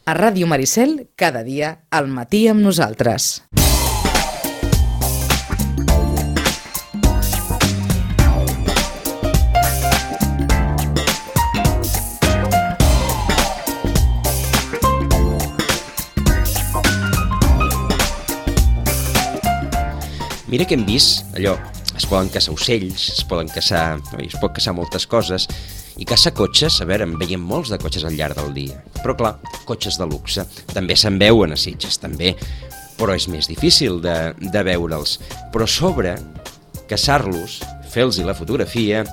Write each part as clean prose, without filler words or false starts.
A Ràdio Maricel, cada dia, al matí amb nosaltres. Mira que hem vist, allò, es poden caçar ocells, es pot caçar moltes coses, i caçar cotxes, a veure, en veiem molts de cotxes al llarg del dia. Però clar, cotxes de luxe, també se'n veuen a Sitges, també, però és més difícil de veure'ls. Però a sobre, caçar-los, fer-los la fotografia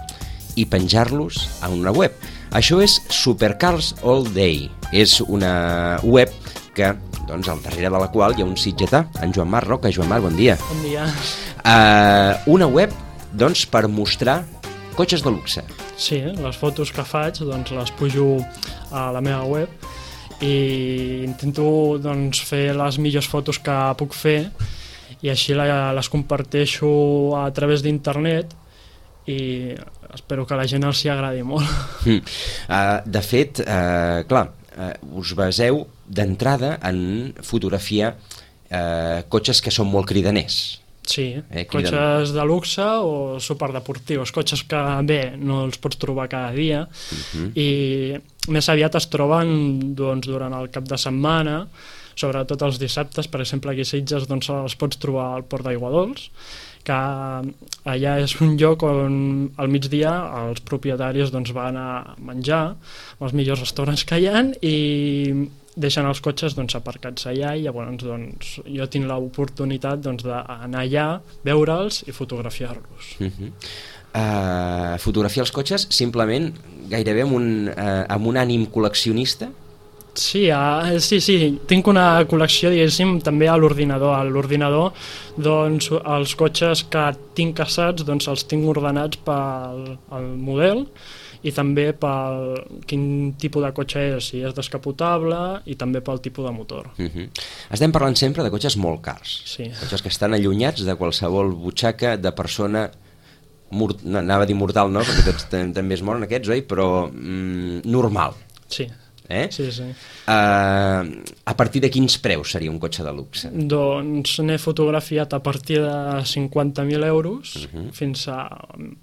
i penjar-los a una web. Això és Supercars All Day, és una web que, doncs, al darrere de la qual hi ha un sitgetà, en Joan Marc Roca. Joan Marc, bon dia. Bon dia. Una web, doncs, per mostrar cotxes de luxe. Sí, les fotos que faig, doncs, les pujo a la meva web i intento, doncs, fer les millors fotos que puc fer i així les comparteixo a través d'internet i espero que a la gent els hi agradi molt. De fet, clar, us baseu d'entrada en fotografiar cotxes que són molt cridaners. Sí, cotxes de luxe o superdeportius, cotxes que bé, no els pots trobar cada dia i més aviat es troben, doncs, durant el cap de setmana, sobretot els dissabtes. Per exemple, aquí a Sitges, doncs, els pots trobar al Port d'Aiguadols, que allà és un lloc on al migdia els propietaris, doncs, van a menjar als millors restaurants que hi ha i deixen els cotxes, doncs, aparcats allà i llavors, doncs, jo tinc l'oportunitat, doncs, d'anar allà, veure'ls i fotografiar-los. Fotografiar els cotxes simplement gairebé amb un ànim col·leccionista? Sí, sí, tinc una col·lecció, diguéssim, també a l'ordinador. A l'ordinador, doncs, els cotxes que tinc caçats, doncs, els tinc ordenats pel model i també pel quin tipus de cotxe és, si és descapotable i també pel tipus de motor. Estem parlant sempre de cotxes molt cars, sí. Cotxes que estan allunyats de qualsevol butxaca de persona, anava a dir mortal, no? Perquè tots també es moren aquests, oi? Però normal. Sí. Sí. A partir de quins preus seria un cotxe de luxe? Doncs n'he fotografiat a partir de 50.000 euros fins a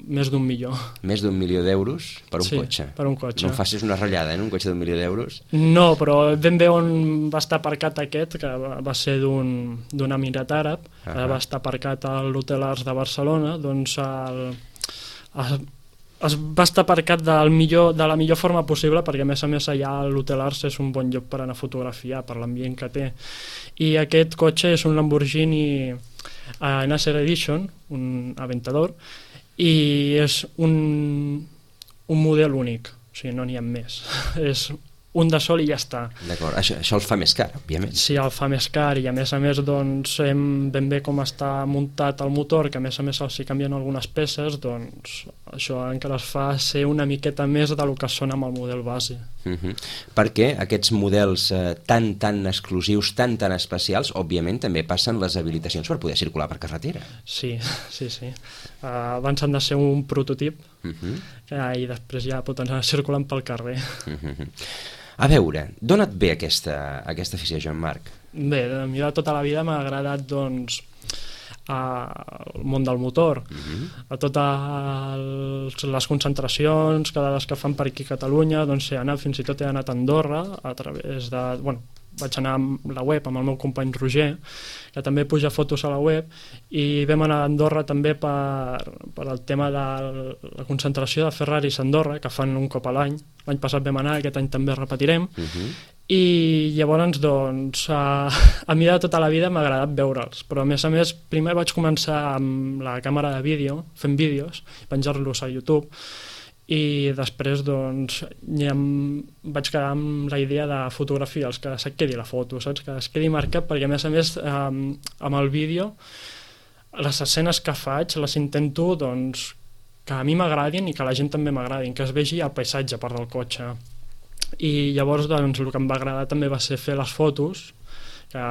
més d'1 milió. Més d'1 milió d'euros per un cotxe? Sí, per un cotxe. No em facis una ratllada, un cotxe d'1 milió d'euros? No, però ben bé on va estar aparcat aquest, que va ser d'un emirat àrab, va estar aparcat a l'Hotel Arts de Barcelona, doncs es va estar aparcat de la millor forma possible, perquè a més allà l'Hotel Arts és un bon lloc per anar a fotografiar per l'ambient que té. I aquest cotxe és un Lamborghini Nasser Edition, un Aventador, i és un model únic, o sigui, no n'hi ha més. És un de sol i ja està. D'acord, això el fa més car, òbviament. Sí, el fa més car i a més, doncs, ben bé com està muntat el motor, que a més els hi canvien algunes peces, doncs això encara es fa ser una miqueta més del que són amb el model base. Perquè aquests models tan exclusius, tan especials, òbviament també passen les habilitacions per poder circular per carretera. Sí. Abans han de ser un prototip i després ja pot anar circulant pel carrer. A veure, d'on et ve aquesta afició, Joan Marc? Bé, a mi de tota la vida m'ha agradat, doncs, el món del motor, a totes les concentracions que fan per aquí a Catalunya, doncs fins i tot he anat a Andorra a través de... vaig anar amb la web, amb el meu company Roger, que també puja fotos a la web, i vam anar a Andorra també per el tema de la concentració de Ferraris a Andorra, que fan un cop a l'any. L'any passat vam anar, aquest any també repetirem, i llavors, doncs, a mi de tota la vida m'ha agradat veure'ls, però a més, primer vaig començar amb la càmera de vídeo, fent vídeos, penjar-los a YouTube, i després, doncs, vaig quedar amb la idea de fotografiar els que se't quedi la foto, saps? Que es quedi marcat, perquè a més amb el vídeo les escenes que faig les intento, doncs, que a mi m'agradin i que a la gent també m'agradin, que es vegi el paisatge a part del cotxe. I llavors, doncs, el que em va agradar també va ser fer les fotos que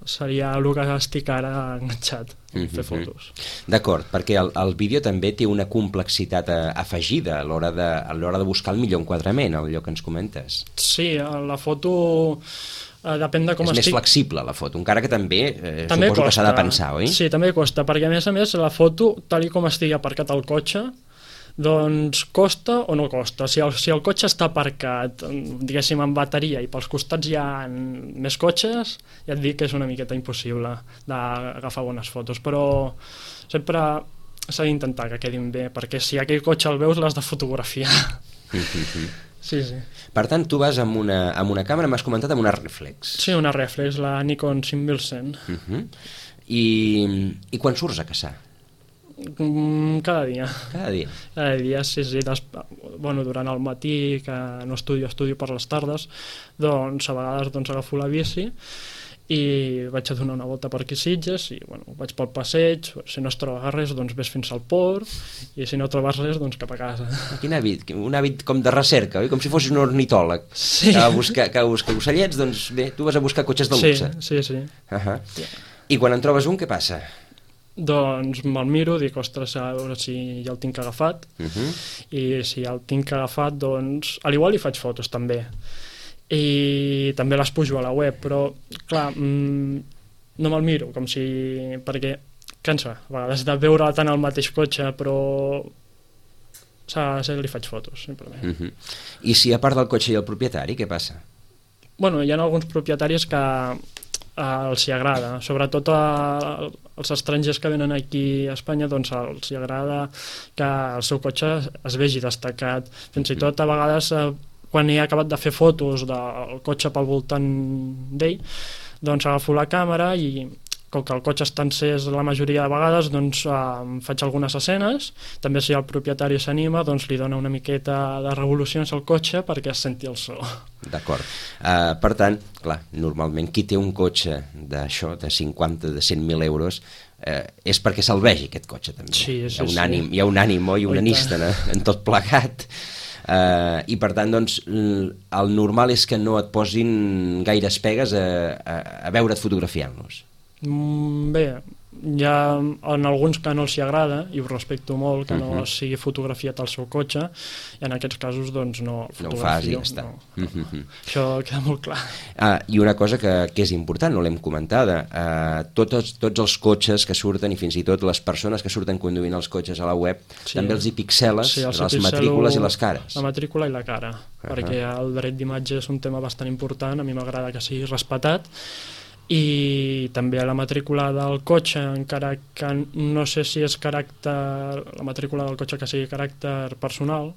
seria el que estic ara enganxat, fer fotos. D'acord, perquè el vídeo també té una complexitat afegida a l'hora de buscar el millor enquadrament, allò que ens comentes. Sí, la foto depèn de com estic. És més flexible la foto, encara que també suposo que s'ha de pensar, oi? Sí, també costa, perquè a més la foto, tal com estigui aparcat el cotxe, doncs costa o no costa. Si el cotxe està aparcat, diguéssim, en bateria i pels costats hi ha més cotxes, ja et dic que és una miqueta impossible d'agafar bones fotos, però sempre s'ha d'intentar que quedin bé, perquè si aquell cotxe el veus l'has de fotografiar. Sí. Per tant, tu vas amb una càmera, m'has comentat, amb una reflex. Sí, una reflex, la Nikon 5100. I quan surts a caçar? Cada dia. Cada dia? Cada dia, sí. Durant el matí, que no estudio per les tardes, doncs a vegades agafo la bici i vaig a donar una volta per aquí Sitges i vaig pel passeig, si no es troba res doncs ves fins al port i si no trobes res doncs cap a casa. Quin hàbit, un hàbit com de recerca, oi? Com si fossis un ornitòleg que va a buscar ocellets, doncs bé, tu vas a buscar cotxes de luxe. Sí. I quan en trobes un, què passa? Doncs me'l miro, dic, ostres, a veure si ja el tinc agafat, i si ja el tinc agafat, doncs, a l'igual hi faig fotos també, i també les pujo a la web, però, clar, no me'l miro, perquè cansa, a vegades de veure tant el mateix cotxe, però li faig fotos, simplement. I si a part del cotxe i el propietari, què passa? Hi ha alguns propietaris que els hi agrada, sobretot als estrangers que venen aquí a Espanya, doncs els hi agrada que el seu cotxe es vegi destacat, fins i tot a vegades quan he acabat de fer fotos del cotxe pel voltant d'ell, doncs agafo la càmera i com que el cotxe està encès la majoria de vegades, doncs faig algunes escenes, també si el propietari s'anima doncs li dona una miqueta de revolucions al cotxe perquè es senti el so. D'acord. Per tant, clar, normalment qui té un cotxe d'això, de 50, de 100.000 euros, és perquè se'l vegi aquest cotxe també. Sí. Hi ha un ànim, oi? Un anista en tot plegat. I per tant, doncs, el normal és que no et posin gaires pegues a veure't fotografiant-los. Bé, hi ha en alguns que no els hi agrada i ho respecto molt, que no sigui fotografiat el seu cotxe, i en aquests casos doncs no el fotografio. No ho fas i ja està. Això queda molt clar. I una cosa que és important, no l'hem comentada, tots els cotxes que surten i fins i tot les persones que surten conduint els cotxes a la web, també els hi pixeles, les matrícules i les cares. La matrícula i la cara, perquè el dret d'imatge és un tema bastant important, a mi m'agrada que sigui respectat, i també la matrícula del cotxe, encara que no sé si és la matrícula del cotxe que sigui caràcter personal,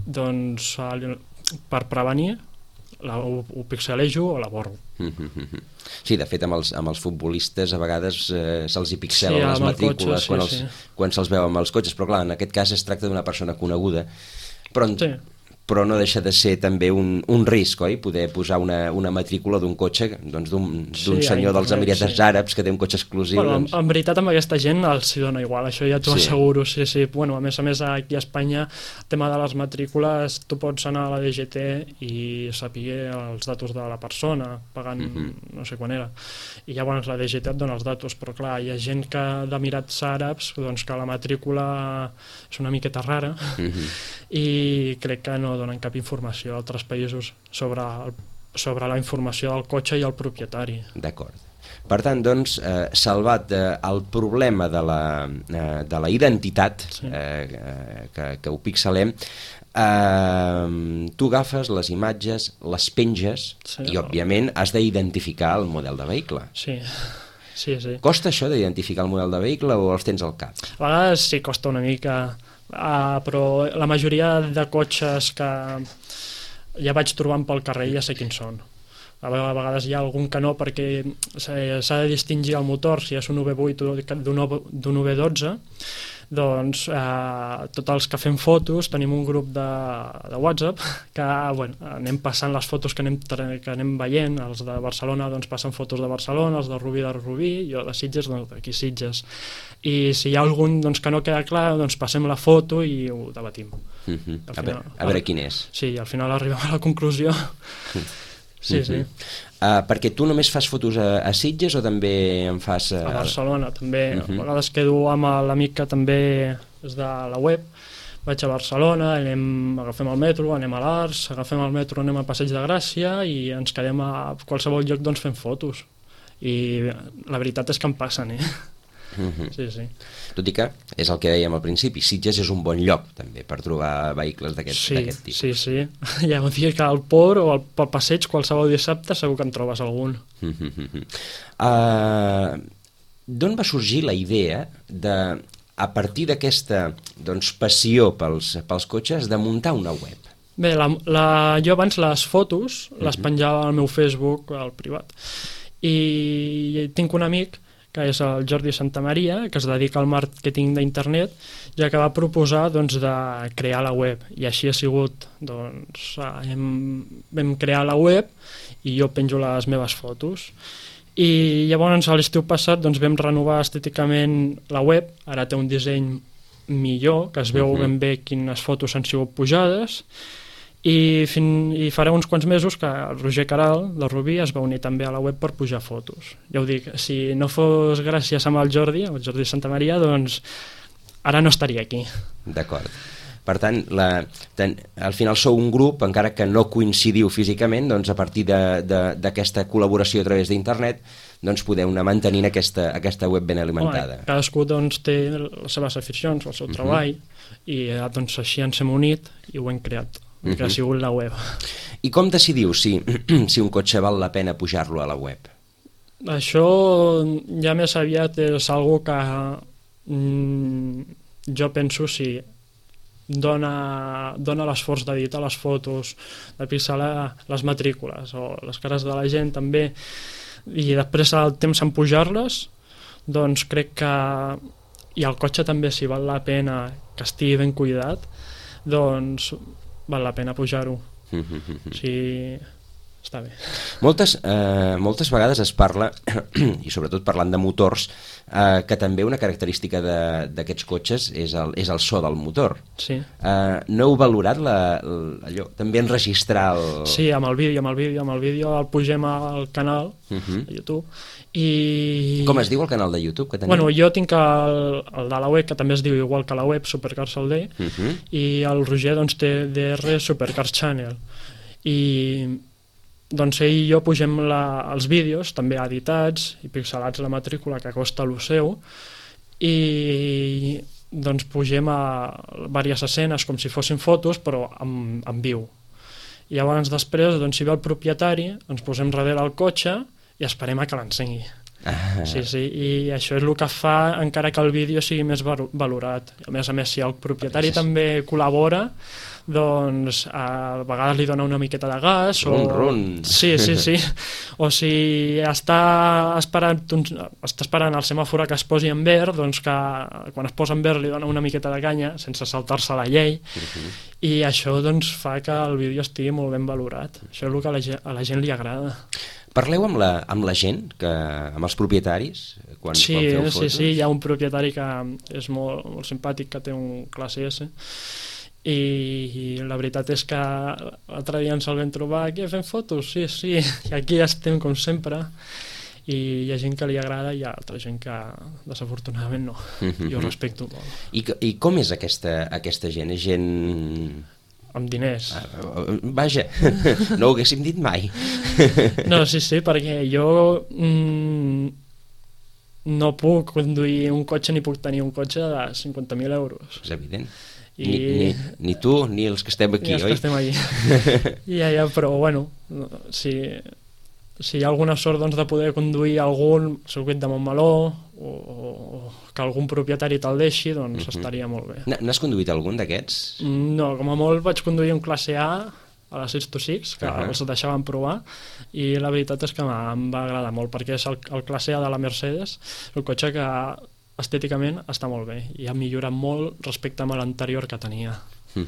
doncs per prevenir ho pixelejo o la borro. Sí, de fet amb els futbolistes a vegades se'ls hi pixelen les matrícules quan se'ls veu amb els cotxes, però clar, en aquest cas es tracta d'una persona coneguda, però no deixa de ser també un risc, oi? Poder posar una matrícula d'un cotxe, doncs d'un senyor dels Emirates Àrabs que té un cotxe exclusiu. En veritat amb aquesta gent els hi dona igual, això ja t'ho asseguro, sí. A més aquí a Espanya, el tema de les matrícules, tu pots anar a la DGT i saber els datos de la persona, pagant no sé quan era, i llavors la DGT et dona els datos, però clar, hi ha gent d'Emirats Àrabs doncs que la matrícula és una miqueta rara i crec que no donen cap informació a altres països sobre la informació del cotxe i el propietari. D'acord. Per tant, doncs, salvat el problema de la identitat, que ho pixelem, tu agafes les imatges, les penges i, òbviament, has d'identificar el model de vehicle. Sí. Costa això d'identificar el model de vehicle o els tens al cap? A vegades sí, costa una mica, però la majoria de cotxes que ja vaig trobant pel carrer ja sé quins són. A vegades hi ha algun que no, perquè s'ha de distingir el motor, si és un V8 d'un V12, doncs tots els que fem fotos tenim un grup de WhatsApp que anem passant les fotos que anem veient. Els de Barcelona doncs passen fotos de Barcelona, els de Rubí, jo de Sitges d'aquí Sitges, i si hi ha algun doncs, que no queda clar, doncs passem la foto i ho debatim. A veure quin és. Sí, al final arribem a la conclusió Sí, sí. Perquè tu només fas fotos a Sitges o també en fas... A Barcelona, també. A vegades quedo amb l'amic que també és de la web. Vaig a Barcelona, agafem el metro, anem a l'Arts, agafem el metro, anem a Passeig de Gràcia i ens quedem a qualsevol lloc doncs, fent fotos. I la veritat és que em passen, Sí, sí. Tot i que és el que dèiem al principi, Sitges és un bon lloc també per trobar vehicles d'aquest tipus. Sí, sí. Hi ha un dia que al port o pel passeig qualsevol dissabte segur que en trobes algun. D'on va sorgir la idea de, a partir d'aquesta passió pels cotxes, de muntar una web? Bé, jo abans les fotos les penjava al meu Facebook, al privat, i tinc un amic que és el Jordi Santamaria, que es dedica al màrqueting d'internet, ja que va proposar de crear la web, i així ha sigut. Vam crear la web i jo penjo les meves fotos. I llavors a l'estiu passat vam renovar estèticament la web, ara té un disseny millor, que es veu ben bé quines fotos han sigut pujades, i farà uns quants mesos que el Roger Caral de Rubí es va unir també a la web per pujar fotos. Ja ho dic, si no fos gràcies amb el Jordi Santamaria, doncs ara no estaria aquí. D'acord. Per tant, al final sou un grup, encara que no coincidiu físicament, doncs a partir d'aquesta col·laboració a través d'internet podeu anar mantenint aquesta web ben alimentada. Cadascú té les seves aficions, el seu treball, i així ens hem unit i ho hem creat. Que ha sigut la web. I com decidiu si un cotxe val la pena pujar-lo a la web? Això ja més aviat és algo que jo penso si dona l'esforç d'editar les fotos, de pixelar les matrícules o les cares de la gent també, i després el temps en pujar-les, doncs crec que i el cotxe també, si val la pena que estigui ben cuidat, doncs val la pena pujar-ho. Sí, està bé. Moltes vegades es parla, i sobretot parlant de motors, que també una característica d'aquests cotxes és el so del motor. Sí. No heu valorat allò, també enregistrar el... Sí, amb el vídeo el pugem al canal a YouTube. I... Com es diu el canal de YouTube que teniu? Bueno, jo tinc el de la web, que també es diu igual que la web, Supercars all day, i el Roger té DR Supercars Channel. I doncs ell i jo pugem els vídeos, també editats i pixelats la matrícula, que costa el seu, i doncs pugem a diverses escenes com si fossin fotos, però en viu. I llavors després, si ve el propietari, ens posem darrere el cotxe i esperem a que l'encengui. Sí, i això és el que fa encara que el vídeo sigui més valorat. A més, si el propietari també col·labora, doncs a vegades li dona una miqueta de gas sí, o si està esperant el semàfor que es posi en verd, doncs que quan es posa en verd li dona una miqueta de canya sense saltar-se la llei, i això doncs fa que el vídeo estigui molt ben valorat. Això és el que a la gent li agrada. Parleu amb la gent, amb els propietaris, quan feu fotos? Sí, hi ha un propietari que és molt simpàtic, que té un classe S, i la veritat és que l'altre dia ens el vam trobar aquí fent fotos, sí, i aquí estem com sempre, i hi ha gent que li agrada i hi ha altra gent que desafortunadament no. Jo ho respecto molt. I com és aquesta gent? És gent... amb diners. Vaja, no ho haguéssim dit mai. No, sí, perquè jo no puc conduir un cotxe ni puc tenir un cotxe de 50.000 euros. És evident. Ni tu ni els que estem aquí, oi? Ni els que estem aquí. Però bueno, si hi ha alguna sort de poder conduir algun circuit de Montmeló o que algun propietari te'l deixi, doncs estaria molt bé. N'has conduït algun d'aquests? No, com a molt vaig conduir un classe A a la 626, que els deixaven provar, i la veritat és que em va agradar molt, perquè és el classe A de la Mercedes, el cotxe que estèticament està molt bé i ha millorat molt respecte a l'anterior que tenia. Un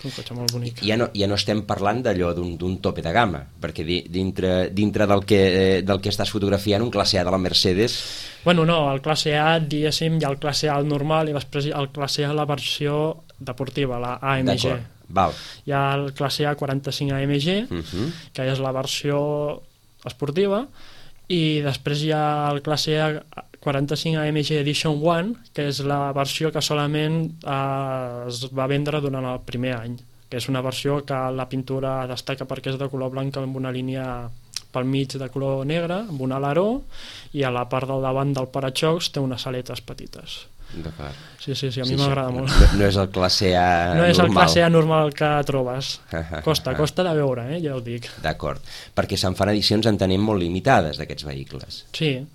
cotxe molt bonic. Ja no estem parlant d'allò d'un tope de gamma, perquè dintre del que estàs fotografiant, un classe A de la Mercedes... Bueno, no, el classe A, diguéssim, hi ha el classe A normal i després el classe A la versió deportiva, la AMG. Val. Hi ha el classe A 45 AMG, que és la versió esportiva, i després hi ha el classe A 45 AMG Edition 1, que és la versió que solament es va vendre durant el primer any, que és una versió que la pintura destaca perquè és de color blanc amb una línia pel mig de color negre, amb un aleró, i a la part del davant del paraxocs té unes aletes petites. D'acord. Sí, a mi m'agrada molt. No és el classe A normal. No és el classe A normal que trobes. Costa de veure, ja ho dic. D'acord, perquè se'n fan edicions, entenem, molt limitades d'aquests vehicles. Sí.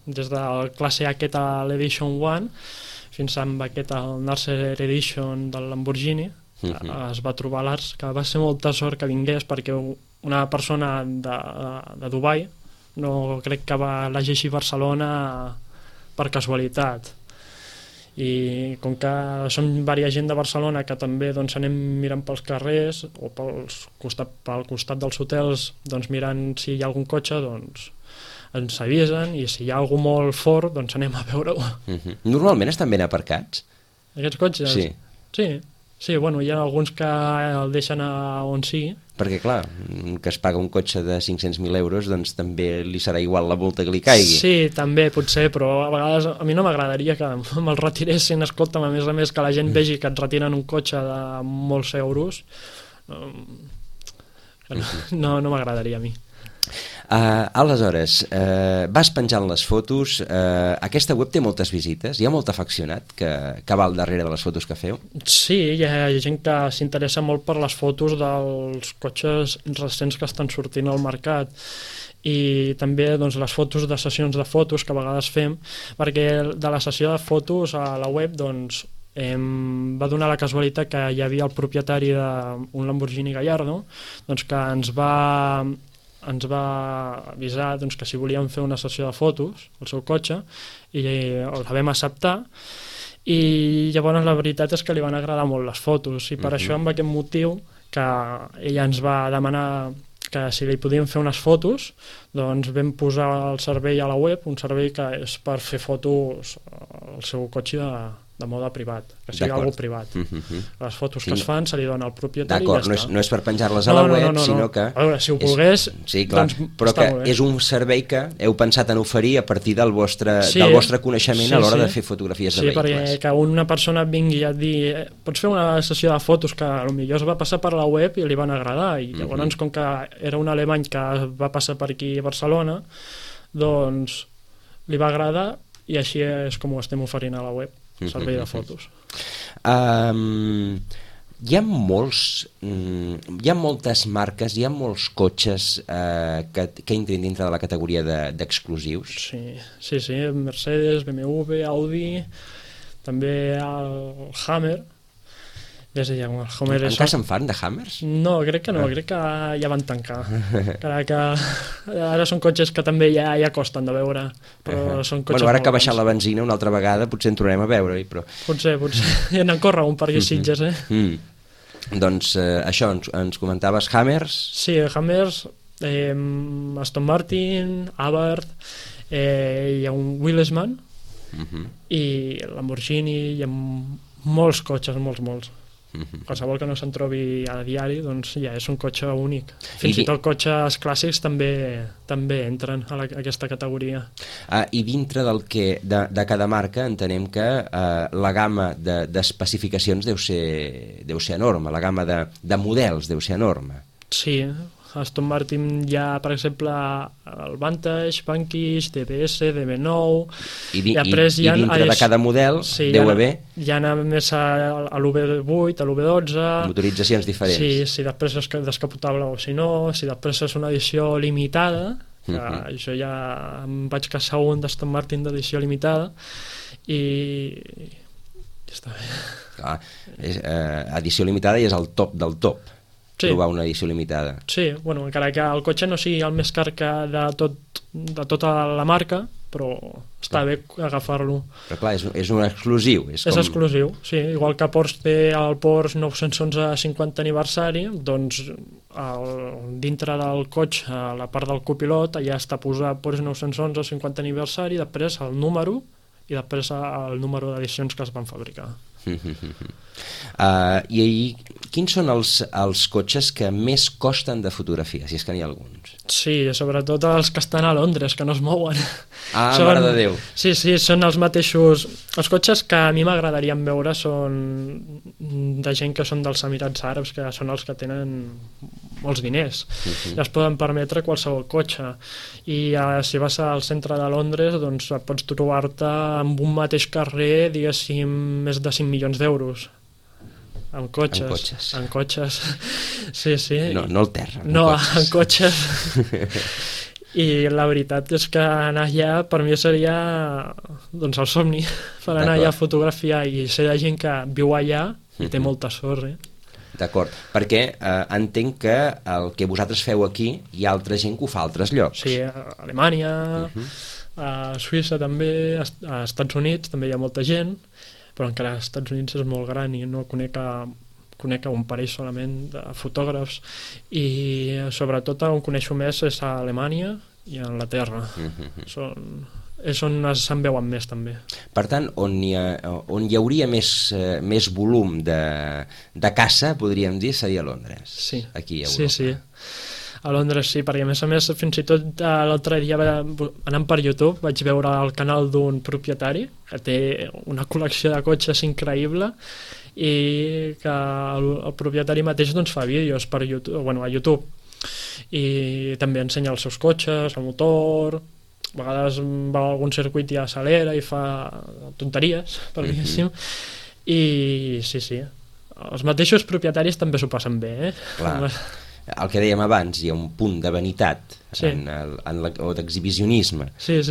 Des del classe A aquest a l'Edition 1 fins amb aquest al Narcer Edition del Lamborghini es va trobar l'Ars, que va ser molta sort que vingués perquè una persona de Dubai no crec que l'hagi així a Barcelona per casualitat, i com que som diversa gent de Barcelona que també doncs, anem mirant pels carrers o pel costat dels hotels, doncs, mirant si hi ha algun cotxe, doncs ens avisen, i si hi ha algú molt fort doncs anem a veure-ho. Normalment estan ben aparcats? Aquests cotxes? Sí, bueno, hi ha alguns que el deixen on sigui. Perquè, clar, que es paga un cotxe de 500.000 euros, doncs també li serà igual la multa que li caigui. Sí, també, potser, però a vegades a mi no m'agradaria que me'l retiressin. Escolta'm, a més que la gent vegi que et retiren un cotxe de molts euros, no m'agradaria a mi. Aleshores, vas penjant les fotos, aquesta web té moltes visites, hi ha molt afeccionat que va al darrere de les fotos que feu? Sí, hi ha gent que s'interessa molt per les fotos dels cotxes recents que estan sortint al mercat, i també doncs, les fotos de sessions de fotos que a vegades fem, perquè de la sessió de fotos a la web doncs, va donar la casualitat que hi havia el propietari d'un Lamborghini Gallardo, doncs, que ens va avisar doncs, que si volíem fer una sessió de fotos al seu cotxe, i la vam acceptar, i llavors la veritat és que li van agradar molt les fotos, i per això amb aquest motiu que ella ens va demanar que si li podíem fer unes fotos, doncs vam posar el servei a la web, un servei que és per fer fotos al seu cotxe de mode privat, que sigui algú privat. Les fotos que es fan se li dona al propietari i ja està. No és per penjar-les a la web, sinó que... A veure, si ho volgués, doncs però que és un servei que heu pensat en oferir a partir del vostre coneixement a l'hora de fer fotografies de vehicles. Sí, perquè que una persona vingui a dir pots fer una sessió de fotos, que potser es va passar per la web i li van agradar, i llavors com que era un alemany que va passar per aquí a Barcelona, doncs li va agradar, i així és com ho estem oferint a la web, servei de fotos. Hi ha moltes marques, hi ha molts cotxes que entren dintre de la categoria d'exclusius? Sí, Mercedes, BMW, Audi, també el Hammer. Encara se'n fan de Hammers? No, crec que no, crec que ja van tancar. Que ara són cotxes que també ja costen de veure, però són cotxes ara que ha baixat la benzina una altra vegada potser en tornarem a veure-hi, però... Potser, ja n'en corre un per aquí Sitges, Doncs això, ens comentaves Hammers? Sí, Hammers, Aston Martin, Abarth, hi ha un Willesman, i Lamborghini, hi ha molts cotxes, molts. Qualsevol que no se'n trobi a diari, doncs ja és un cotxe únic. Fins i tot cotxes clàssics també entren a aquesta categoria. I dintre de cada marca entenem que la gamma d'especificacions deu ser enorme, la gamma de models deu ser enorme. Sí, a Aston Martin hi ha, per exemple, el Vantage, Vanquish, DBS, DB9... I dintre de cada model deu haver... Hi ha més a l'UV8, a l'UV12... Motoritzacions diferents. Sí, si després és descapotable o si no, si després és una edició limitada, que jo ja em vaig caçar un d'Aston Martin d'edició limitada, i ja està bé. Clar, edició limitada i és el top del top. Trobar una edició limitada. Sí, bueno, encara que el cotxe no sigui el més car de tota la marca, però està bé agafar-lo. Però clar, és un exclusiu. És exclusiu, sí. Igual que Porsche té el Porsche 911 50 aniversari, doncs dintre del cotxe, a la part del copilot, allà està posat Porsche 911 50 aniversari, després el número i després el número d'edicions que es van fabricar. I quins són els cotxes que més costen de fotografiar, si és que n'hi ha alguns? Sí, sobretot els que estan a Londres, que no es mouen. Mare de Déu. Sí, són els mateixos... Els cotxes que a mi m'agradaria veure són de gent que són dels Emirats Àrabs, que són els que tenen molts diners. I es poden permetre qualsevol cotxe. I si vas al centre de Londres, doncs pots trobar-te amb un mateix carrer, diguéssim, més de 5 milions d'euros. En cotxes. Sí. No al terra. No, en cotxes. I la veritat és que anar allà per mi seria doncs el somni, per anar allà a fotografiar, i ser de gent que viu allà i té molta sort. D'acord, perquè entenc que el que vosaltres feu aquí hi ha altra gent que ho fa a altres llocs. Sí, a Alemanya, a Suïssa també, a Estats Units també hi ha molta gent, però encara als Estats Units és molt gran i no conec un parell solament de fotògrafs, i sobretot on coneixo més és a Alemanya i a Anglaterra. És on se'n veuen més també. Per tant, on hi hauria més volum de caça, podríem dir, seria a Londres. Sí. Aquí a Europa. Sí. A Londres sí, perquè a més fins i tot l'altre dia anant per YouTube vaig veure el canal d'un propietari que té una col·lecció de cotxes increïble, i que el propietari mateix doncs fa vídeos per YouTube, a YouTube, i també ensenya els seus cotxes, el motor, a vegades va a algun circuit i accelera i fa tonteries, per diguéssim, i sí, els mateixos propietaris també s'ho passen bé, Clar. El que dèiem abans, hi ha un punt de vanitat o d'exhibicionisme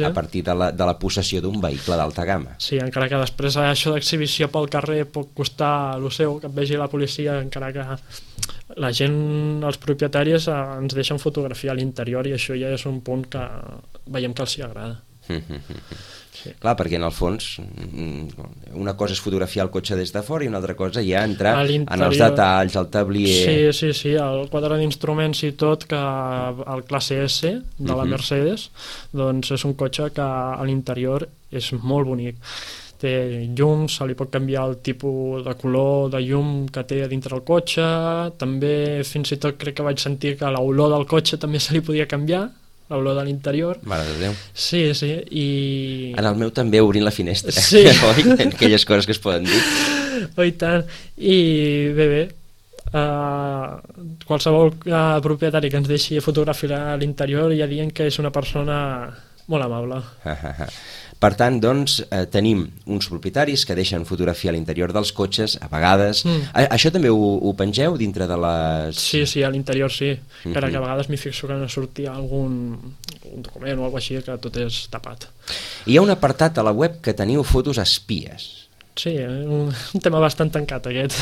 a partir de la possessió d'un vehicle d'alta gamma. Sí, encara que després això d'exhibició pel carrer pot costar el seu, que et vegi la policia, encara que la gent, els propietaris ens deixen fotografiar a l'interior, i això ja és un punt que veiem que els hi agrada. Clar, perquè en el fons una cosa és fotografiar el cotxe des de fora i una altra cosa ja entrar en els detalls, el tablier... Sí, el quadre d'instruments i tot, que el classe S de la Mercedes, doncs és un cotxe que a l'interior és molt bonic. Té llums, se li pot canviar el tipus de color de llum que té dintre el cotxe, també fins i tot crec que vaig sentir que l'olor del cotxe també se li podia canviar, l'olor de l'interior. Mare de Déu. Sí, i... En el meu també obrint la finestra. Sí. Oi? Aquelles coses que es poden dir. I tant. I bé, qualsevol propietari que ens deixi fotografiar a l'interior ja dient que és una persona molt amable. Per tant, doncs, tenim uns propietaris que deixen fotografiar a l'interior dels cotxes, a vegades... Això també ho pengeu dintre de les... Sí, a l'interior sí. Encara que a vegades m'hi fixo que no sortia algun document o alguna cosa així, que tot és tapat. Hi ha un apartat a la web que teniu fotos espies. Sí, un tema bastant tancat aquest.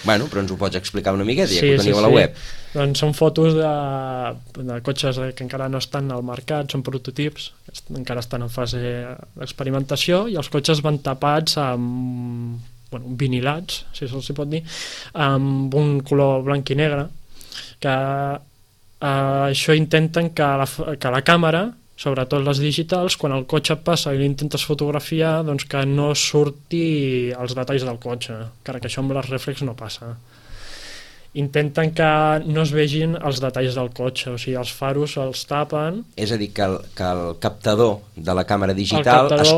Bueno, però ens ho pots explicar una miqueta, ja que ho teniu a la web. Doncs són fotos de cotxes que encara no estan al mercat, són prototips, encara estan en fase d'experimentació, i els cotxes van tapats amb vinilats, si se'ls pot dir, amb un color blanc i negre, que això intenten que la càmera, sobretot les digitals, quan el cotxe passa i l'intentes fotografiar, doncs que no surti els detalls del cotxe, encara que això amb les reflex no passa. Intenten que no es vegin els detalls del cotxe, o sigui, els faros els tapen. És a dir, que el captador de la càmera digital es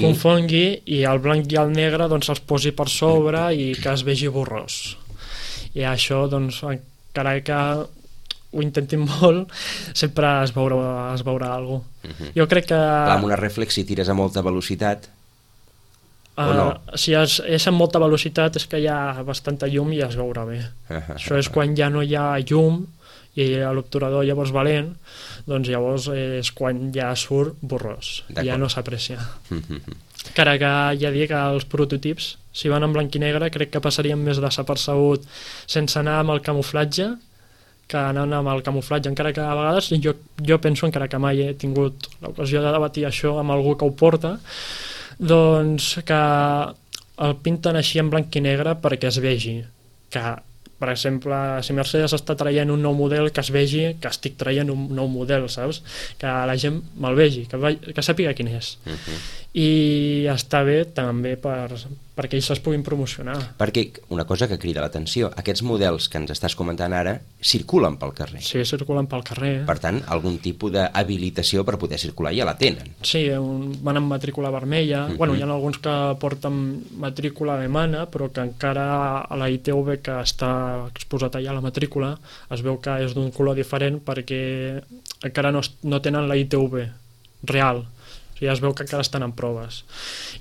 confongui i el blanc i el negre doncs els posi per sobre i que es vegi borrós. I això, doncs, encara que ho intentin molt, sempre es veurà alguna cosa. Jo crec que... Clar, amb una reflex, si tires a molta velocitat, o no? Si és amb molta velocitat és que hi ha bastanta llum i es veurà bé. Això és quan ja no hi ha llum i l'obturador llavors valent, doncs llavors és quan ja surt borrós, ja no s'aprecia. Encara que ja dic que els prototips, si van en blanc i negre, crec que passarien més desapercebut sense anar amb el camuflatge que anant amb el camuflatge, encara que a vegades jo penso, encara que mai he tingut l'ocasió de debatir això amb algú que ho porta, doncs que el pinten així en blanc i negre perquè es vegi que, per exemple, si Mercedes està traient un nou model, que es vegi que estic traient un nou model, saps? Que la gent me'l vegi, que sàpiga quin és. i està bé també perquè ells es puguin promocionar. Perquè una cosa que crida l'atenció, aquests models que ens estàs comentant ara circulen pel carrer. Sí, circulen pel carrer. Per tant, algun tipus d'habilitació per poder circular ja la tenen. Sí, van amb matrícula vermella. Bueno, hi ha alguns que porten matrícula alemana, però que encara a la ITV que està exposat allà a la matrícula es veu que és d'un color diferent perquè encara no tenen la ITV real. O sigui, es veu que encara estan en proves.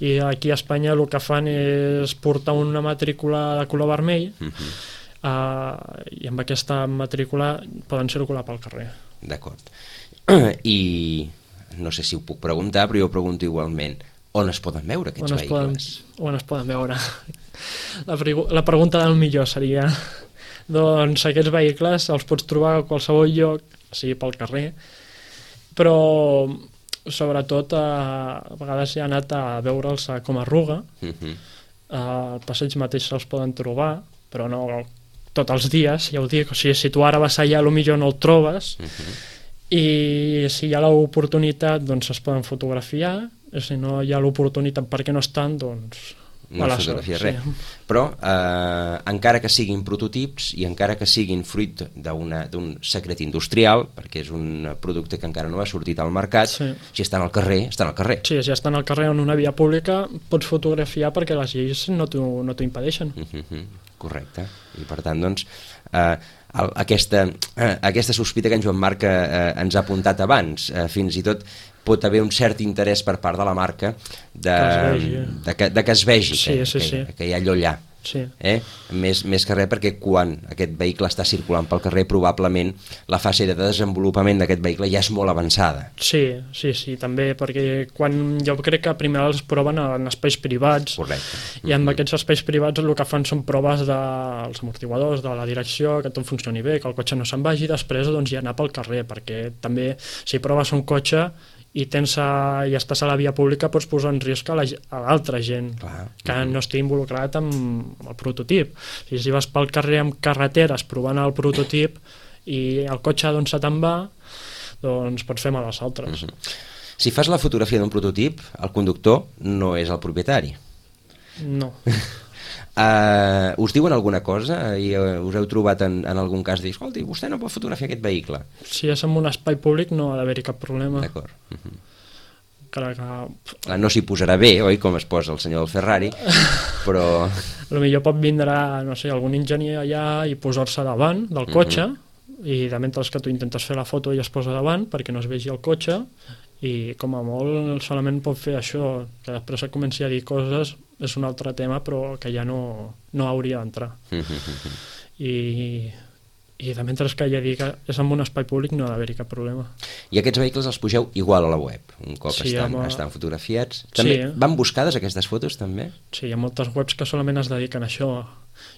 I aquí a Espanya el que fan és portar una matrícula de color vermell i amb aquesta matrícula poden circular pel carrer. D'acord. I no sé si ho puc preguntar, però jo pregunto igualment. On es poden veure aquests vehicles? On es poden veure? La pregunta del millor seria doncs aquests vehicles els pots trobar a qualsevol lloc, sigui pel carrer, però sobretot a vegades he anat a veure'ls com a Ruga, al passeig mateix se'ls poden trobar, però no tots els dies, ja ho dic, o sigui, si tu ara vas allà potser no el trobes, i si hi ha l'oportunitat doncs es poden fotografiar, i si no hi ha l'oportunitat perquè no estan, doncs no es fotografia res. Però encara que siguin prototips i encara que siguin fruit d'un secret industrial, perquè és un producte que encara no ha sortit al mercat, si estan al carrer, estan al carrer. Sí, si estan al carrer en una via pública pots fotografiar perquè les lleis no t'ho impedeixen. Correcte. I per tant, doncs, aquesta sospita que en Joan Marc ens ha apuntat abans, fins i tot pot haver un cert interès per part de la marca que es vegi que hi ha allò allà. Més que res perquè quan aquest vehicle està circulant pel carrer probablement la fase de desenvolupament d'aquest vehicle ja és molt avançada. Sí, també, perquè jo crec que primer els proven en espais privats. Correcte. I en aquests espais privats el que fan són proves dels amortiguadors, de la direcció, que tot funcioni bé, que el cotxe no se'n vagi, després doncs ja anar pel carrer, perquè també si proves un cotxe i estàs a la via pública pots posar en risc a l'altra gent que no estigui involucrat amb el prototip. Si vas pel carrer amb carreteres provant el prototip i el cotxe doncs se te'n va, doncs pots fer mal als altres. Si fas la fotografia d'un prototip, el conductor no és el propietari. No. Us diuen alguna cosa i us heu trobat en algun cas dir, escolti, vostè no pot fotografiar aquest vehicle? Si és en un espai públic no ha d'haver-hi cap problema. D'acord. No s'hi posarà bé, oi, com es posa el senyor del Ferrari, però potser pot vindre, no sé, algun enginyer allà i posar-se davant del cotxe i de mentre que tu intentes fer la foto ell es posa davant perquè no es vegi el cotxe i com a molt solament pot fer això, que després es comenci a dir coses és un altre tema però que ja no hauria d'entrar. I de mentre que ja dic que és en un espai públic no ha d'haver-hi cap problema. I aquests vehicles els pugeu igual a la web, un cop estan fotografiats. També van buscades aquestes fotos també? Sí, hi ha moltes webs que solament es dediquen a això.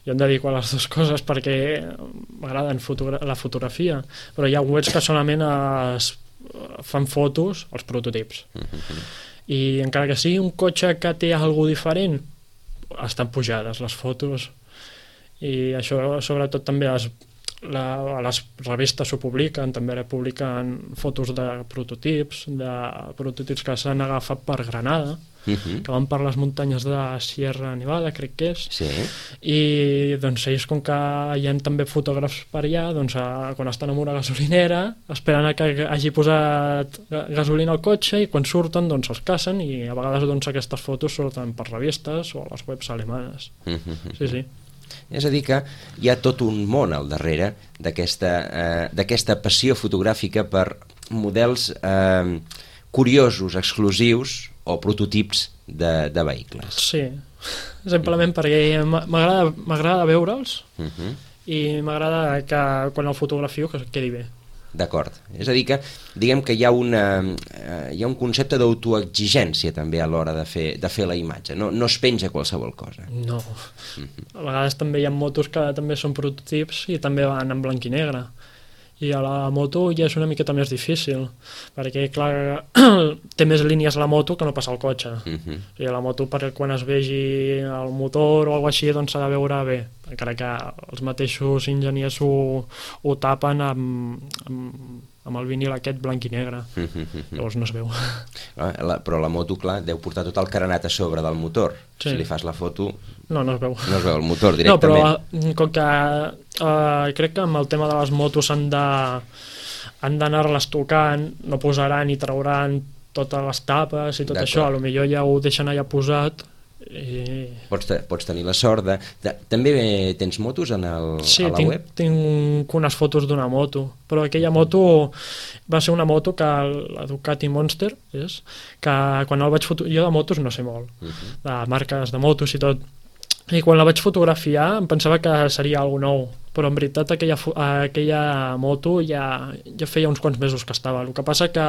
Jo em dedico a les dues coses perquè m'agraden la fotografia, però hi ha webs que solament fan fotos als prototips. I encara que sigui un cotxe que té alguna diferent, estan pujades les fotos. I això sobretot també a les revistes ho publiquen, també publiquen fotos de prototips que s'han agafat per Granada, que van per les muntanyes de Sierra Nevada, crec que és, i doncs ells, com que hi ha també fotògrafs per allà, doncs quan estan en una gasolinera esperen que hagi posat gasolina al cotxe i quan surten doncs els cacen i a vegades doncs aquestes fotos surten per revistes o a les webs alemanes. Sí. És a dir que hi ha tot un món al darrere d'aquesta passió fotogràfica per models curiosos, exclusius o prototips de vehicles. Sí, simplement perquè m'agrada veure'ls i m'agrada que quan el fotografio que quedi bé. D'acord, és a dir que diguem que hi ha un concepte d'autoexigència també a l'hora de fer la imatge, no es penja qualsevol cosa. No, a vegades també hi ha motos que també són prototips i també van en blanc i negre i a la moto ja és una miqueta més difícil perquè clar té més línies la moto que no passa el cotxe. O sigui, la moto quan es vegi el motor o alguna cosa així doncs s'ha de veure bé. encara que els mateixos enginyers ho tapen amb el vinil aquest blanc i negre. Llavors no es veu. Però la moto, clar, deu portar tot el carenat a sobre del motor. Sí. Si li fas la foto... No es veu. No es veu el motor directament. No, però com que crec que amb el tema de les motos han d'anar-les tocant, no posaran i trauran totes les tapes i tot això, potser ja ho deixen allà posat. Pots tenir la sort de... També tens motos a la web? Sí, tinc unes fotos d'una moto, però aquella moto va ser una moto que la Ducati Monster és, que quan el vaig fotografiar, jo de motos no sé molt, de marques de motos i tot, i quan la vaig fotografiar em pensava que seria alguna nou, però en veritat aquella moto ja feia uns quants mesos que estava. El que passa que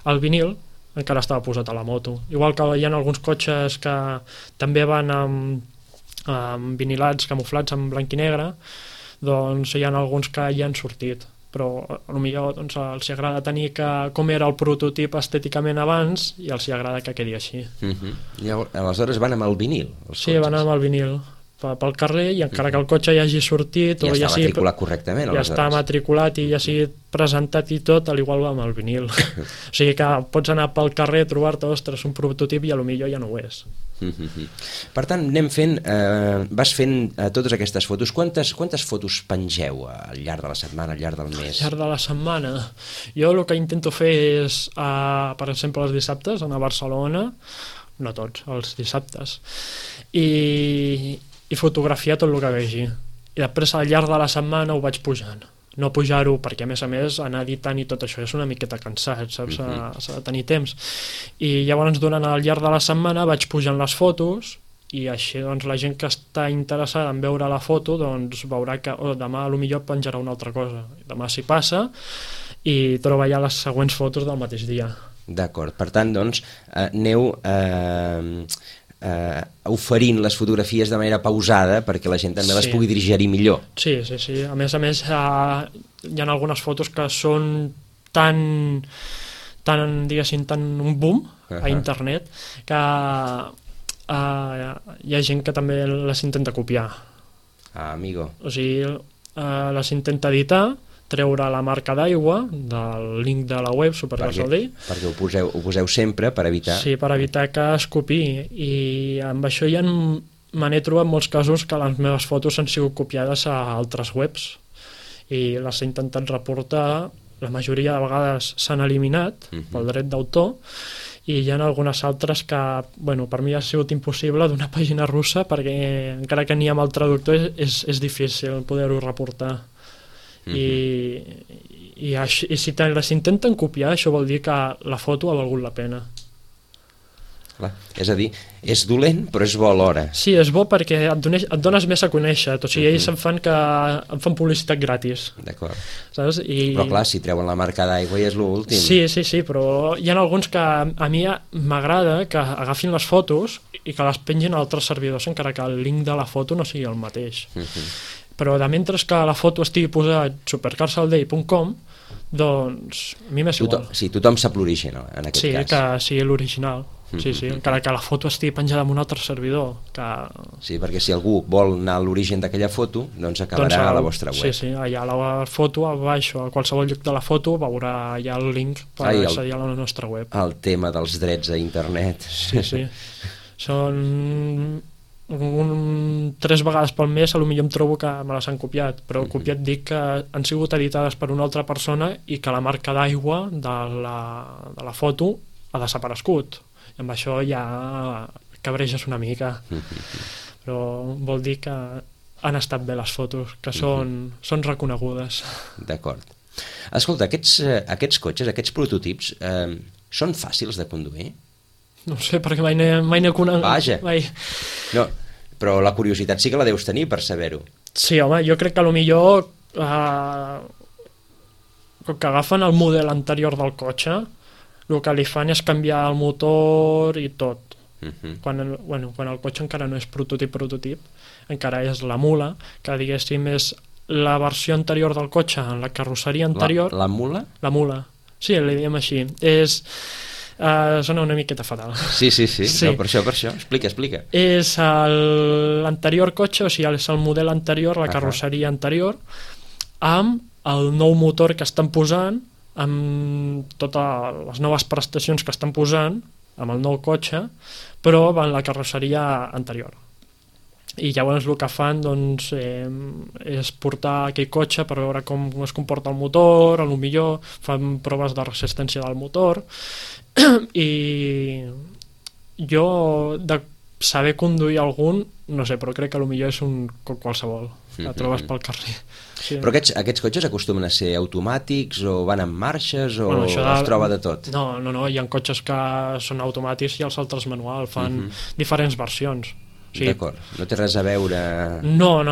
el vinil encara estava posat a la moto. Igual que hi ha alguns cotxes que també van amb vinilats camuflats en blanc i negre, doncs hi ha alguns que ja han sortit, però potser doncs, els agrada tenir com era el prototip estèticament abans i els agrada que quedi així. Llavors, aleshores van amb el vinil? Sí, van amb el vinil pel carrer, i encara que el cotxe ja hagi sortit ja està matriculat correctament, ja està matriculat i ja sigui presentat i tot, al igual va amb el vinil. O sigui que pots anar pel carrer, trobar-te, ostres, un prototip i potser ja no ho és. Per tant, vas fent totes aquestes fotos. Quantes fotos pengeu al llarg de la setmana, al llarg del mes? Al llarg de la setmana? Jo el que intento fer és, per exemple, els dissabtes anar a Barcelona, no tots, els dissabtes, i fotografiar tot el que vegi. I després al llarg de la setmana ho vaig pujant. No pujar-ho perquè, a més, anar editant i tot això és una miqueta cansat, saps? S'ha de tenir temps. I llavors, durant el llarg de la setmana vaig pujant les fotos i així doncs, la gent que està interessada en veure la foto doncs, veurà que demà potser penjarà una altra cosa. Demà s'hi passa i troba ja les següents fotos del mateix dia. D'acord. Per tant, doncs, aneu oferint les fotografies de manera pausada perquè la gent també les pugui digerir millor. Sí. A més, hi ha algunes fotos que són tan diguéssim, tan un boom a internet que hi ha gent que també les intenta copiar. Amigo. O sigui, les intenta editar, treure la marca d'aigua del link de la web Supergasolí, perquè ho poseu sempre per evitar... Sí, per evitar que es copiï, i amb això ja me n'he trobat molts casos que les meves fotos han sigut copiades a altres webs i les he intentat reportar. La majoria de vegades s'han eliminat pel dret d'autor i hi ha algunes altres que, per mi ha sigut impossible d'una pàgina russa perquè encara que n'hi ha amb el traductor és difícil poder-ho reportar. I si les intenten copiar, això vol dir que la foto ha valgut la pena. Clar. És a dir, és dolent però és bo alhora. Sí, és bo perquè et dones més a conèixer, o sigui, ells em fan publicitat gratis. D'acord. Saps? Però clar, si treuen la marca d'aigua ja és l'últim. Sí, però hi ha alguns que a mi m'agrada que agafin les fotos i que les pengin a altres servidors encara que el link de la foto no sigui el mateix. Però de mentre que la foto estigui posat supercarsallday.com, doncs a mi m'és igual. Sí, tothom sap l'origen en aquest cas. Sí, que sigui l'original. Sí, encara que la foto estigui penjada en un altre servidor. Sí, perquè si algú vol anar a l'origen d'aquella foto, doncs acabarà a la vostra web. Sí, allà a la foto, a baix, a qualsevol lloc de la foto, veurà ja el link per accedir a la nostra web. El tema dels drets a internet. Sí. Són 3 vegades pel mes, potser em trobo que me les han copiat, però copiat dic que han sigut editades per una altra persona i que la marca d'aigua de la foto ha desaparegut. I amb això ja cabreges una mica, però vol dir que han estat bé les fotos, que són reconegudes. D'acord. Escolta, aquests cotxes, aquests prototips, són fàcils de conduir? No sé, perquè mai n'he conegut. Vaja. No, però la curiositat sí que la deus tenir per saber-ho. Sí, home, jo crec que potser com que agafen el model anterior del cotxe, el que li fan és canviar el motor i tot. Quan el cotxe encara no és prototip, encara és la mula, que diguéssim és la versió anterior del cotxe en la carrosseria anterior. La mula? La mula, sí, li diem així. És Sona una miqueta fatal. Sí. No, per això. Explica. És l'anterior cotxe, o sigui, és el model anterior, la carrosseria anterior, amb el nou motor que estan posant, amb totes les noves prestacions que estan posant, amb el nou cotxe, però en la carrosseria anterior. I llavors el que fan doncs, és portar aquell cotxe per veure com es comporta el motor, potser fan proves de resistència del motor, i jo de saber conduir algun, no sé, però crec que potser és un qualsevol, la trobes pel carrer. Sí. Però aquests cotxes acostumen a ser automàtics o van en marxes o es troba de tot? No, hi ha cotxes que són automàtics i els altres manual, fan diferents versions. Sí. D'acord, no té res a veure... No.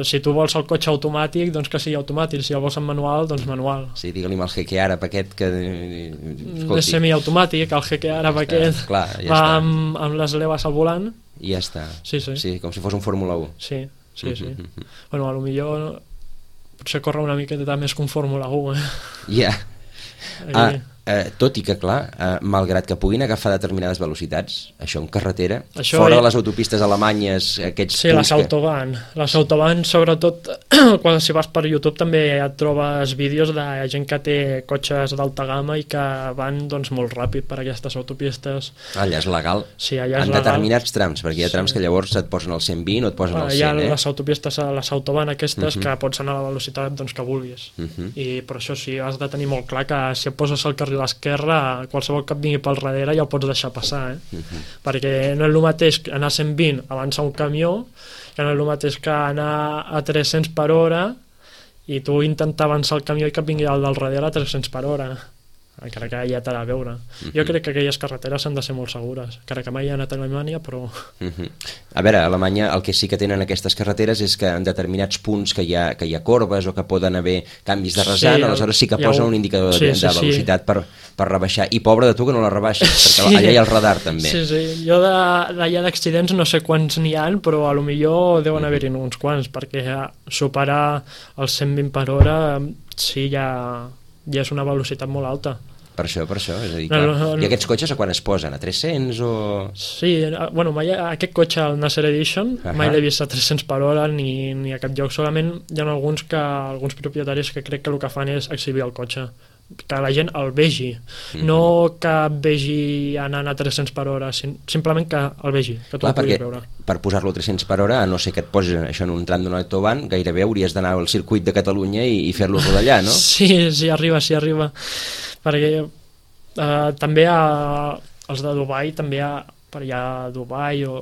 Si tu vols el cotxe automàtic, doncs que sigui automàtic. Si el vols en manual, doncs manual. Sí, digue-li amb el Jeque Àrab aquest que... És semiautomàtic, el Jeque Àrab aquest clar, va amb les levas al volant. I ja està. Sí, com si fos un Fórmula 1. Sí. Bueno, potser potser corre una miqueta més que un Fórmula 1, Ja. Tot i que, clar, malgrat que puguin agafar determinades velocitats, això en carretera, fora de les autopistes alemanyes, aquests... Sí, les Autobahn, sobretot, quan si vas per YouTube també et trobes vídeos de gent que té cotxes d'alta gamma i que van doncs, molt ràpid per aquestes autopistes. Allà és legal? Sí, allà és legal. En determinats trams, perquè hi ha trams que llavors et posen el 120 o et posen el 100, Hi ha les autopistes, les Autobahn aquestes, que pots anar a la velocitat doncs, que vulguis. I per això sí, has de tenir molt clar que si et poses al carril a l'esquerra, qualsevol que et vingui pel darrere ja el pots deixar passar, perquè no és el mateix anar a 120 avançar un camió, que no és el mateix que anar a 300 per hora i tu intentar avançar el camió i que et vingui el del darrere a 300 per hora, encara que ja t'ha de veure. Jo crec que aquelles carreteres han de ser molt segures, encara que mai he anat a Alemanya, però... A veure, a Alemanya el que sí que tenen aquestes carreteres és que en determinats punts que hi ha corbes o que poden haver canvis de rasant, aleshores sí que posen un indicador de velocitat per rebaixar, i pobre de tu que no la rebaixes, perquè allà hi ha el radar també. Sí, jo d'allà d'accidents no sé quants n'hi ha, però a lo millor deuen haver-hi uns quants, perquè superar els 120 per hora sí ja és una velocitat molt alta. Per això, és a dir, clar. I aquests cotxes a quan es posen? A 300 o...? Sí, bueno, aquest cotxe, el Nasser Edition, mai l'he vist a 300 per hora ni a cap lloc, solament hi ha alguns propietaris que crec que el que fan és exhibir el cotxe, que la gent el vegi, no que vegi anant a 300 per hora, simplement que el vegi, que tu el puguis veure. Per posar-lo a 300 per hora, a no ser que et posis això en un tram d'una autobahn, gairebé hauries d'anar al circuit de Catalunya i fer-lo rodar, no? Sí, arriba. Perquè també els de Dubai, també per allà a Dubai o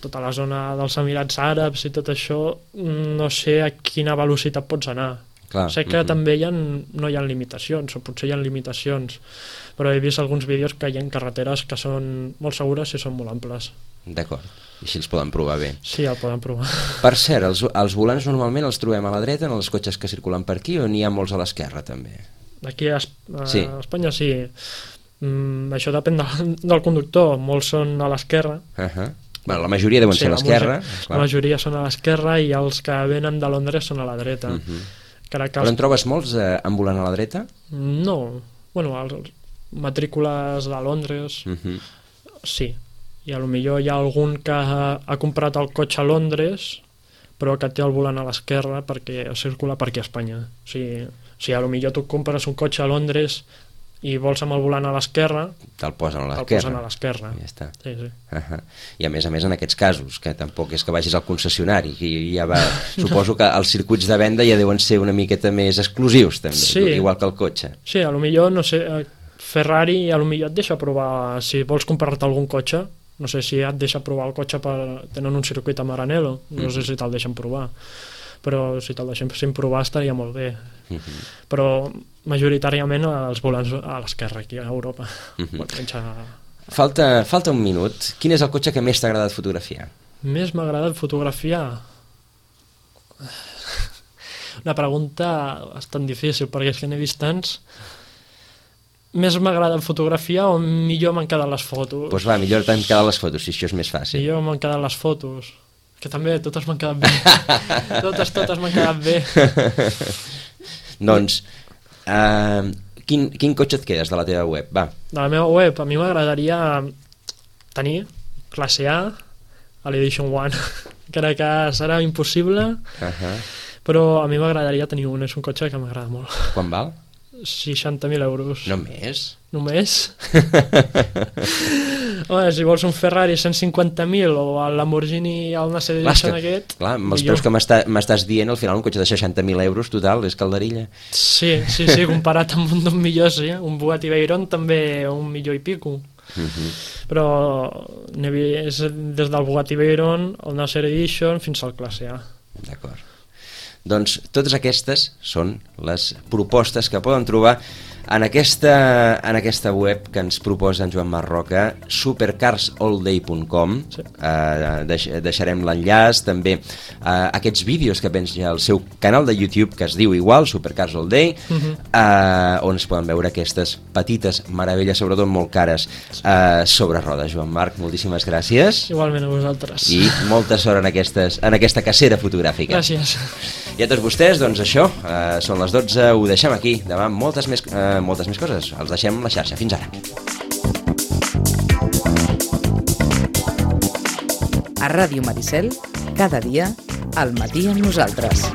tota la zona dels Emirats Àrabs i tot això, no sé a quina velocitat pots anar. Clar, sé que també no hi ha limitacions, o potser hi ha limitacions, però he vist alguns vídeos que hi ha carreteres que són molt segures i són molt amples. D'acord, i així els poden provar bé. Sí, el poden provar. Per cert, els volants normalment els trobem a la dreta en els cotxes que circulen per aquí o n'hi ha molts a l'esquerra també? Aquí a Espanya sí. Això depèn del conductor, molts són a l'esquerra. Bueno, la majoria deuen ser a l'esquerra. La majoria són a l'esquerra i els que venen de Londres són a la dreta. Però en trobes molts amb volant a la dreta? No, bueno, matrícules de Londres sí, i a lo millor hi ha algun que ha comprat el cotxe a Londres però que té el volant a l'esquerra perquè circula per aquí a Espanya. O sigui, a lo millor tu compres un cotxe a Londres i vols amb el volant a l'esquerra, te'l posen a l'esquerra. Ja està. Sí. I a més en aquests casos, que tampoc és que vagis al concessionari, i ja suposo que els circuits de venda ja deuen ser una miqueta més exclusius també, igual que el cotxe. Sí, a lo millor, no sé, Ferrari a lo millor et deixa provar, si vols comprar-te algun cotxe, no sé si et deixa provar el cotxe tenen un circuit a Maranello, no sé si te'l deixen provar, però si te'l deixen provar estaria molt bé. Però majoritàriament els volants a l'esquerra aquí a Europa. Falta un minut. Quin és el cotxe que més t'ha agradat fotografiar? Més m'ha agradat fotografiar? Una pregunta bastant difícil, perquè és que n'he vist tants. Més m'agrada fotografiar o millor m'han quedat les fotos? Doncs va, millor t'han quedat les fotos, si això és més fàcil. Millor m'han quedat les fotos, que també totes m'han quedat bé. totes m'han quedat bé. Doncs, Quin cotxe et quedes de la teva web? Va. De la meva web, a mi m'agradaria tenir classe A a l'Edition One. Crec que serà impossible, però a mi m'agradaria tenir un. És un cotxe que m'agrada molt. Quan val? 60.000 euros. Només? Només? Home, si vols un Ferrari 150.000 o el Lamborghini el Nasser Edition aquest... Clar, amb els preus que m'estàs dient, al final un cotxe de 60.000 euros total és calderilla. Sí, comparat amb un d'un millor, sí. Un Bugatti Veyron també un milió i pico. Però és des del Bugatti Veyron, el Nasser Edition, fins al classe A. D'acord. Doncs totes aquestes són les propostes que poden trobar en aquesta web que ens proposa en Joan Marroca, supercarsallday.com. Deixarem l'enllaç, també aquests vídeos que penja al seu canal de YouTube, que es diu igual, Supercars All Day, on es poden veure aquestes petites meravelles, sobretot molt cares, sobre rodes. Joan Marc, moltíssimes gràcies. Igualment a vosaltres. I molta sort en aquesta cacera fotogràfica. Gràcies. I a tots vostès, doncs això, són les 12, ho deixem aquí. Demà moltes més coses. Els deixem a la xarxa. Fins ara. A Ràdio Maricel, cada dia, al matí amb nosaltres.